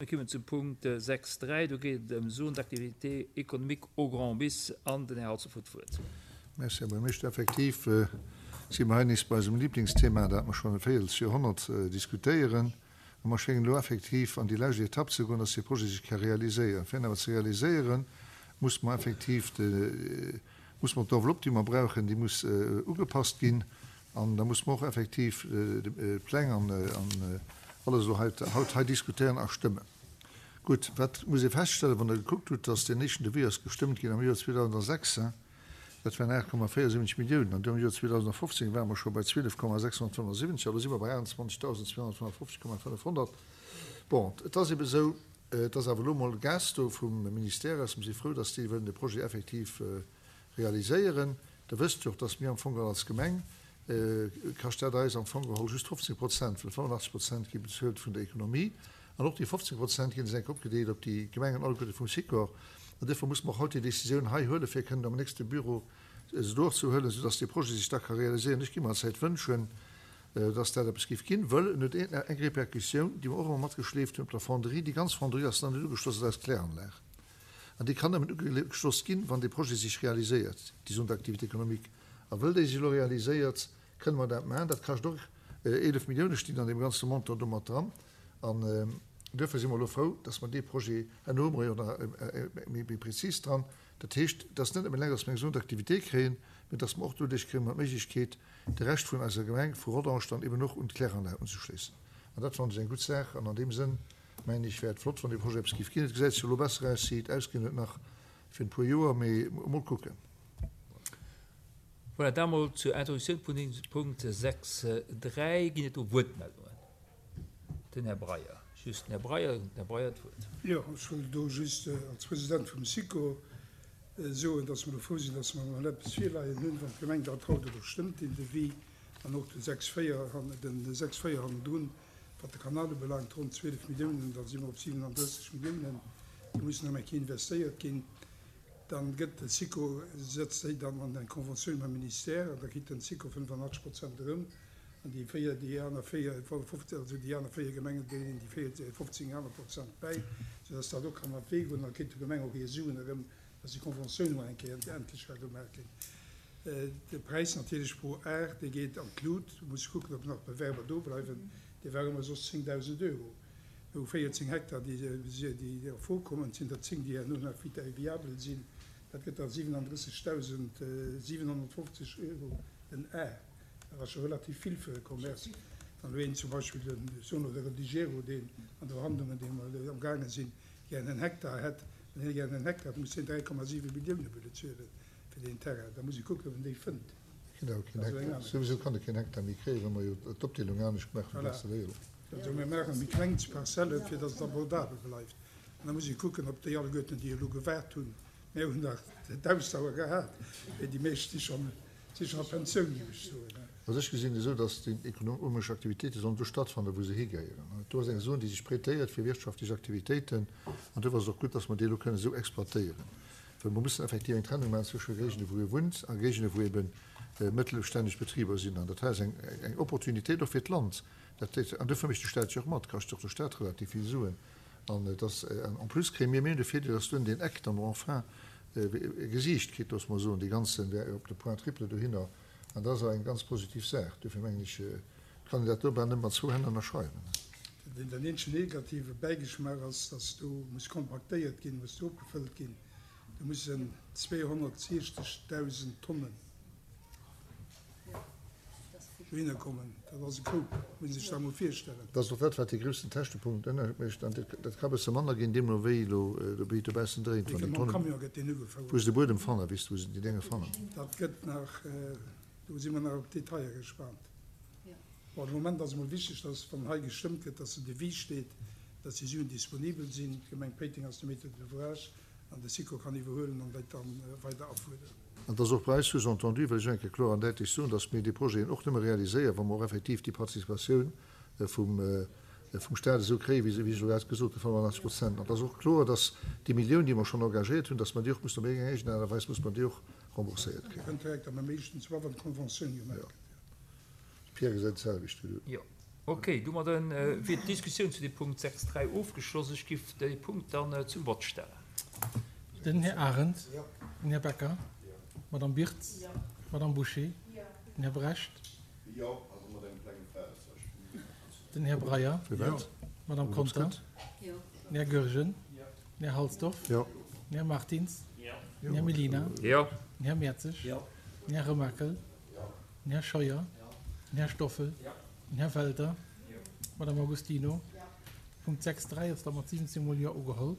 Mir kommen zum Punkt 6.3, do geet et ëm Zone d'activité économique au Grand Bis an den Här Halsdorf huet d'Wuert. Merci, Här Buergermeeschter. Effektiv si mer hei nees bei eisem Liblingsthema, dat mer schonn e Véierelsjoerhonnert diskutéieren. A mer schéngen elo effektiv an déi lescht Etapp ze goen, dass dee Projet sech ka realiséieren. Fir en awer ze realiséieren, muss mer effektiv de, muss mer d'Enveloppe, déi mer brauchen, déi muss ugepasst ginn. An da muss mer och effektiv d'Pläng an alles elo haut hei diskutéieren a stëmmen. Gutt, wat muss ee feststellen, wann Der gekuckt hutt, dass deen éischten Devis ass gestëmmt ginn am Joer 2006, dat waren 8,74 Milliounen, an du am Joer 2015 ware mer scho bei 12,675, elo si mer bei 28.255,500. Bon, et ass ebe esou, et ass awer elo emol Gas do vum Ministère aus. Mer si frou, dass déi wëllen de Projet effektiv realiséieren. Der wësst jo och, dass mir am Fong geholl als Gemeng, kascht dat eis am Fong geholl just 15 Prozent, well 85 Prozent gi bezuelt vun der Ekonomie. An och déi 15 Prozent ginn enk opgedeelt op déi Gemengen alleguerte vum Sikor. An duerfir muss mer och haut déi Décisioun hei huelen, fir kënnen am nächste Büro se do och ze huelen, soudass dee Projet sech da ka realiséieren. Ech gi mer Zäit wënschen, dass dat eppes géif ginn, wëll en huet eng Répercussioun, déi mer och ëmmer matgeschleeft hunn op der Fonderie. Déi ganz Fonderie ass nach net ugeschloss un eis Kläranlag. An déi kann nëmmen ugeschloss ginn, wann dee Projet sech realiséiert, déi Zone d'activité économique. A wëll déi sech elo realiséiert, kënne mer dat maachen. Dat kascht och 11 Milliounen, stinn an deem ganze Montant do mat dran. An duerfir si mer elo frou, dass mer dee Projet, herno hu mer jo nach méi prezis dran, dat heescht, et ass net nëmmen eleng, dass mer eng Zone d'activité kréien, mä dass mer och doduerch kréie mer d'Méiglechkeet, de Rescht vun eiser Gemeng, vu Rodange, dann eben och un d'Kläranlag unzeschléissen. An dat fannen ech eng gutt Saach. An an deem Sënn Mengen ech wär et flott wann dee Projet eppes giff ginn. Et gesäit jo elo besser aus wéi et ausgesinn huet nach fir en puer Joer, mee mol kucken. Voilà, dat mol zur Introduktioun vun dem Punkt 6, 3. Ginn et do Wuertmeldungen? Den Här Breyer, just den Här Breyer, den Här Breyer d'Wuert. Jo, ech wollt do just als President vum SICO soen, dass mer do frou sinn, dass mer emol eppes virleien hunn, wann d'Gemeng dat haut elo stëmmt, deen Devis, an och de 6, 4, den 6, 4 hannendrun. Wat de Kanal ubelaangt, ronn 12 Milliounen, da si mer op 37 Milliounen, déi mussen nach eng Kéier investéiert ginn. Dann gëtt de SICO, setzt déi dann an eng Conventioun mam Ministère an da kritt den SICO 85 Prozent erëm an déi véier, déi aner véier, also déi aner véier Gemengen dréinen déi véier, 15 aner Prozent bäi, soudass dat och kann an d'Wee goen. An da kritt d'Gemeng och hir Suen erëm, dass déi Conventioun emol eng Kéier endlech ka gemaach ginn. De Präis natierlech pro Ar, dee geet an d'Lut. Do muss ech kucken, ob nach Bewerber do bleiwen. Dee war ëmmer soss 10.000 Euro. Mir hu 14 Hektar, déi a Fro kommen. Et sinn der 10, déi herno nach viabel sinn. Dat gëtt da 37.750 Euro den Ar. Dat ass scho relativ vill fir e Commerce. Wann elo een zum Beispill, ech soen elo de Redigero, deen an de Verhandlungen, déi mer amgaange sinn, gären en Hektar hätt, wann hie gären en Hektar hätt, muss hien 3,7 Millioune bezuelen. Fir deen Terrain, da muss ee kucken, ob en déi fënnt. Genau, keen Hektar. Souwisou kann e keen Hektar méi kréien, well mer jo d'Opdeelung anescht gemaach hunn. Voilà. Also mir maache méi kleng Parzelle, fir datt et abordabel bleift. An da muss ee kucken, ob déi alleguerten, déi elo gewaart hunn, mir hunn nach d'Ausdauer gehat, mee déi meescht si schonn, si schonn a Pensioun, géif ech soen. Also ech gesinn et esou, datt déi ekonomesch Aktivitéite sollen do stattfannen, wou se higehéieren. Do ass eng Zon, déi sech prêtéiert fir wirtschaftlech Aktivitéiten, an duerfir ass et och gutt, datt mer déi elo kënnen esou exploitéieren. Well mer mussen effektiv eng Trennung maachen zwësche Géigende wou ee wunnt a Géigende wou ebe mëttelstänneg Betriber sinn. An dat hei ass eng Opportunitéit och fir d'Land. Dat, an dofir mécht de Stat jo och mat, kascht och de Stat relativ vill Suen. An et ass, en plus kréie mir, mir hunn de Virdeel, dass dunn deen Eck dann enfin e Gesiicht kritt, loosse mer soen, dee ganzen, wär op de Point triple dohinner. An dat ass awer eng ganz positiv Saach. Dofir mengen ech, kann een dat do bal nëmme mat zwou Hänn ënnerschreiwen. Den eenzegen negative Bäigeschmaach ass, dass do muss kompaktéiert ginn, muss do opgefëllt ginn. Do mussen 260.000 Tonnen dohinner kommen. Dat ass e Koup, muss ee sech dat emol virstellen. Dat ass och dat, wat dee groussen Käschtepunkt ënnermécht. An dat ka e bësse manner ginn, deemno wéi elo de Beet dobaussen dréint, wann déi Tonnen, wou se de Buedem fannen, weess de, wou se déi Dénge fannen. Dat gëtt nach, do si mer nach op d'Detailler gespaant. Bon, de Moment ass emol wichteg, dass, wann hei gestëmmt gëtt, dass den Devis steet, dass déi Suen disponibel sinn. D'Gemeng Péiteng ass de Maître d'ouvrage an de SICO kann iwwerhuelen an dat dann weider afuerderen. An et ass och bei eis sous-entendu, wëll ech eng Kéier kloer an däitlech soen, dass mir déi Projeten och nëmme realiséieren, wa mer och effektiv déi Participatioun vum vum Stat esou kréien, wéi ech elo grad gesot hunn, 85 Prozent. An et ass och kloer, dass déi Millioun, déi mer schonn engagéiert hunn, dass mer déi och mussen op iergendeng Aart a Weis muss mer déi och rembourséiert kréien. Direkt am meeschten, zwar wann d'Conventioun gemaach gëtt. Pierre gesäit d'selwecht wéi du. Jo. Ok, domadde wier d'Diskussioun zu dem Punkt 6, 3 ofgeschloss. Ech giff dee Punkt dann zum Vott stellen. Den Här Arendt. Den Här Becker. D'Madame Birtz. D'Madame Bouché. Den Här Brecht. Den Här Breyer. D'Madame Conter. Den Här Goergen. Den Här Halsdorf. Den Här Martins. Den Här Mellina. Den Här Mertzig. Den Här Remakel. Den Här Scheuer. Den Här Stoffel. Den Här Welter. D'Madame Agostino. Punkt 6, 3 ass da mat 17 mol Jo ugeholl.